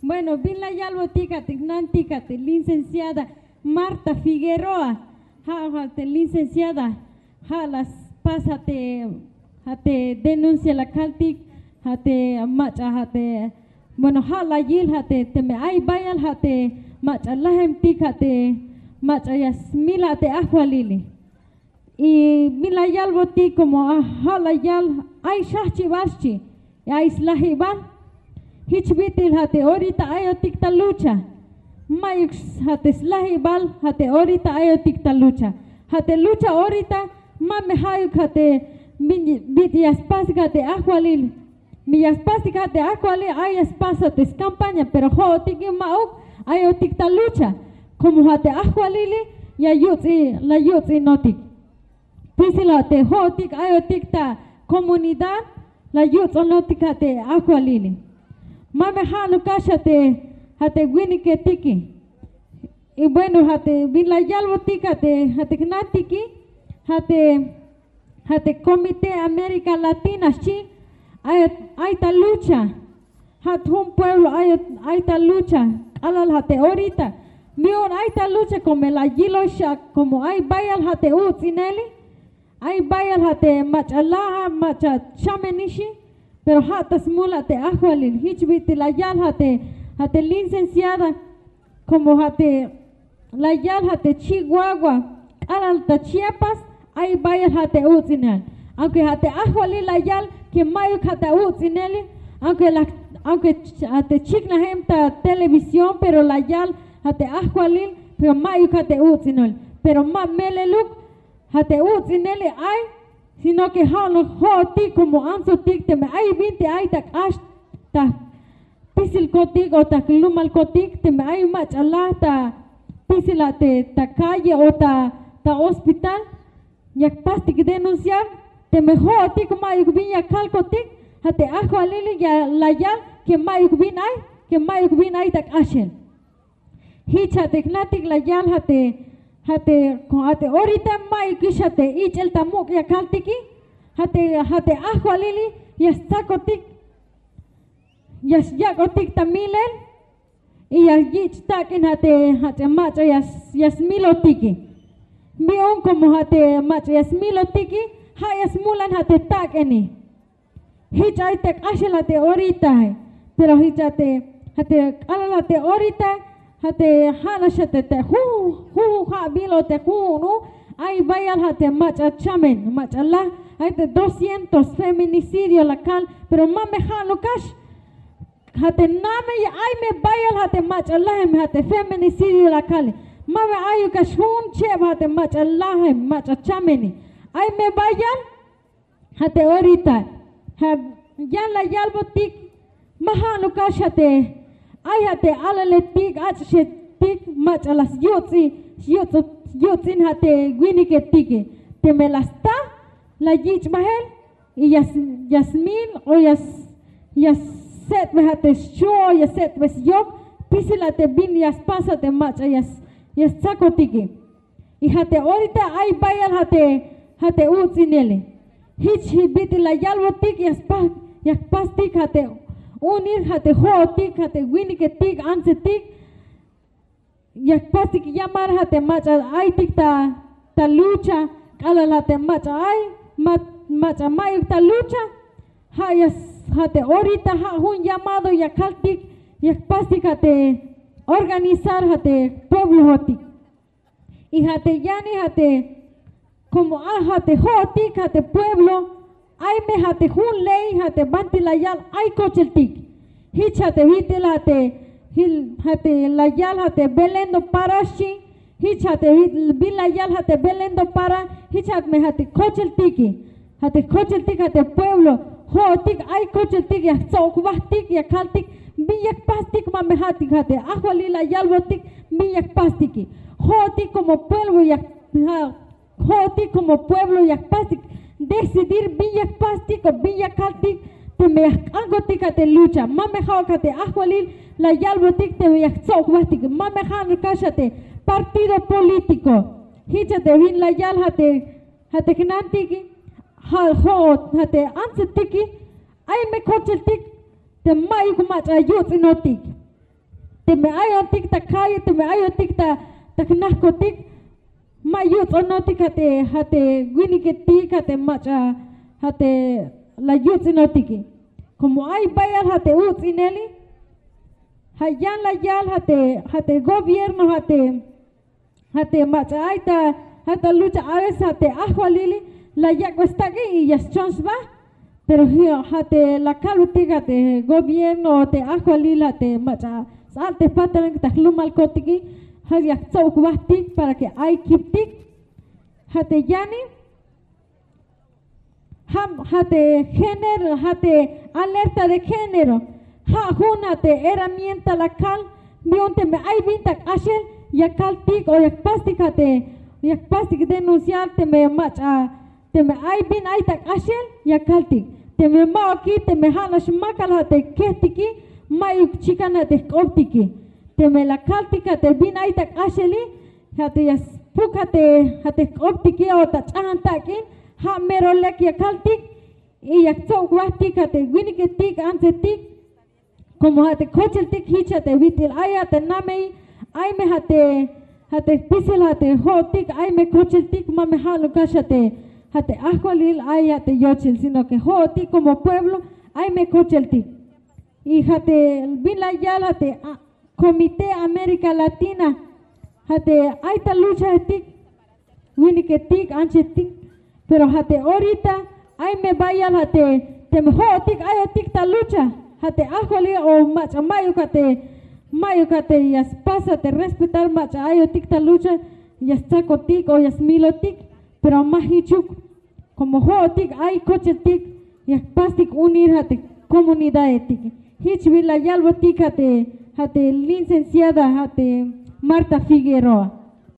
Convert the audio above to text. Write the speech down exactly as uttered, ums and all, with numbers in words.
Bueno, bin la yalbotik a te jnantik a te licenciada Marta Figueroa, ja' a te licenciada, ja' la spas a te, a te denuncia la kaltik, a te mach'a, a te, bueno, ja' la yil a te, teme ay bayal a te mach'a lajemtik a te mach'a ya smil a te ajwalili. Y bin la yalbotik como a ja' la yal, ay xjajch'ibal xchi, y ay slajibal. Jich bit'il a te orita ayotik ta lucha. Ma'yuk a te slajibal a te orita ayotik ta lucha. A te lucha orita ma me ja'uk a te bin, bit'il ya spasik a te ajwalil. Mi ya spasik a te ajwalil, ay ya spas a te skampaña, pero jo'otik ma'uk, ayotik ta lucha. Como a te ajwalili ya yuts'i, la yuts'inotik. Pisil a te jo'otik ayotik ta comunidad, la yuts'onotik a te ajwalili. Ma me ja'nuk k'ax a te, a te winiketiki. Y bueno, a te bin la yalbotik a te, a te jnantiki, a te, a te Comité América Latina xchi, ay, ay ta lucha. Jat jun pueblo ay, ay ta lucha, k'alal a te orita. Mi'un ay ta lucha como la yilox a como ay bayal a te uts'ineli, ay bayal a te mach'a laja, mach'a chamenixi, pero ja' ta smul a te ajwalil. Jich bit'il la yal a te, a te licenciada, como a te la yal a te Chihuahua, k'alal ta Chiapas, ay bayal a te uts'inel. Aunque a te ajwalil la yal que ma'yuk a te uts'ineli, aunque la, aunque ch-, a te chiknajem ta televisión, pero la yal a te ajwalil, pero ma'yuk a te uts'inel. Pero ma meleluk, a te uts'ineli ay, sino que ja' no jo'otik como antsotik teme ay binti ay ta k'ax ta pisilkotik o ta jlumalkotik, teme ay mach'a laj ta pisil a te ta calle o ta, ta hospital, yak pastik denunciar, teme jo'otik ma'yuk bin ya kalkotik, a te ajwalili ya la yal que ma'yuk bin ay, que ma'yuk bin ay ta k'axel. Jich a te jnantik la yal a te, a te, a te orita ma'yukix a te ich'el ta muk' ya kaltiki, a te, a te ajwalili ya stsakotik, ya syak'otik ta milel, y ya yich' tak'in a te, a te mach'a ya, ya smilotiki. Mi'un como a te mach'a ya smilotiki, ja' ya smulan a te tak'ini. Jich ay te k'axel a te orita, pero jich a te, a te k'alal a te orita, a te ja' nax a te, te ju, ju, ja'bil o te ju'un u, ay bayal a te mach'a chamen, mach'a laj, ay te doscientos feminicidio la kal, pero ma me ja'nuk k'ax. A te name ay me bayal a te mach'a lajem, a te feminicidio la kali. Ma me ayuk k'ax jun cheb a te mach'a lajem, mach'a chameni. Ay me bayal, a te orita, a, yan la yalbotik, ma ja'nuk k'ax a te, ay a te alaletik, ach'ixetik, mach'a la syuts'i, syuts'u-, syuts'in a te winiketike. Teme la sta, la yich' bajel, y ya s-, ya smil, o ya s-, ya set'bej a te xchu, o ya set'bej syok, pisil a te bin ya spas a te mach'a ya s-, ya stsakotike. Y a te orita ay bayal a te, a te uts'inele. Jich bit'il la yalbotik ya spas, ya jpastik a te unir a te jo'otik, a te winiketik, antsetik, ya jpastik llamar a te mach'a aytik ta, ta lucha, k'alal a te mach'a ay, ma-, mach'a ma'yuk ta lucha, ja' ya s-, a te orita ja' jun llamado ya kaltik, ya jpastik a te organizar a te pueblojotik. Y a te yani a te, como a, a te jo'otik a te pueblo, ay me a te jun ley a te banti la yal ay kocheltik. Jich a te bit'il a te, jil, a te la yal a te Belén do Pará xchi, jich a te bit-, bin la yal a te Belén do Pará, jich a me a te kocheltiki. A te kocheltik a te pueblo, jo'otik ay kocheltik ya jtsob jbajtik, ya kaltik, bin ya jpastik, ma me ja'tik a te ajwalil la yalbotik, bin ya jpastiki. Jo'otik como pueblo ya, ja', jo'otik como pueblo ya jpastik, decidir bin ya jpastik o bin ya kaltik, teme ya jk'ankotik a te lucha, ma me ja'uk a te ajwalil la yalbotik, teme ya jtsob jbajtik, ma me ja'nuk k'ax a te partido político. Jich a te bin la yal a te, a te jnantiki, ja', jo'ot, a te antsetiki, ay me kocheltik, te ma'yuk mach'a yuts'inotik. Teme ayotik ta calle, teme ayotik ta ta jnajkotik, ma yuts'onotik ja' te ja' te winiketik ja' te mach'a ja' te la yuts'inotiki. Como ay bayal ja' te uts'ineli, ja' yan la yal ja' te ja' te gobierno ja' te ja' te mach'a ay ta ja' ta lucha a veces ja' te ajwalili la yak'be stak'i y ya schon sba. Pero ja' te la kalbetik ja' te gobierno o te ajwalil ja' te mach'a sts'al te patalan ta jlumalkotiki, ja' ya jtsob jbajtik para que ay kiptik. Ja' te yani ja' ja' te género, ja' te alerta de género, ja' jun ja' te herramienta la kal yu'un teme ay bin ta k'axel ya kaltik o ya jpastik ja' te ya jpastik denunciar teme mach'a teme ay bin ay ta k'axel ya kaltik. Teme ma'uki teme ja' nax makal ja' te kejtiki, mayuk chikan ja' te jk'optiki. Teme la kaltik ja' te bin ay ta k'axeli, ja' te ya spuk ja' te ja' te jk'optiki o ta ch'ajan tak'in, ja' mero lek ya kaltik. Y ya jtsob jbajtik ja' te winiketik antsetik. Como ja' te kocheltik jich ja' te bit'il ay ja' te namey, ay me ja' te ja' te jpisil ja' te jo'otik ay me kocheltik, ma me ja'nuk kax ja' te ja' te ajwalil ay ja' te yochel sino que jo'otik como pueblo ay me kocheltik. Y ja' te bin la yal ja' te comité América Latina, ja' te ay ta luchajetik, winiketik anchetik. Pero ja' te orita ay me bayal ja' te teme jo'otik ayotik ta lucha, ja' te ajwalil o mach'a mayuk ja' te mayuk ja' te ya spas ja' te respetar mach'a ayotik ta lucha, ya stsakotik o ya smilotik. Pero ma jichuk, como jo'otik ay kocheltik ya jpastik unir ja' te comunidadetik. Jich bin la yalbotik ja' te ja' te licenciada ja' te Marta Figueroa.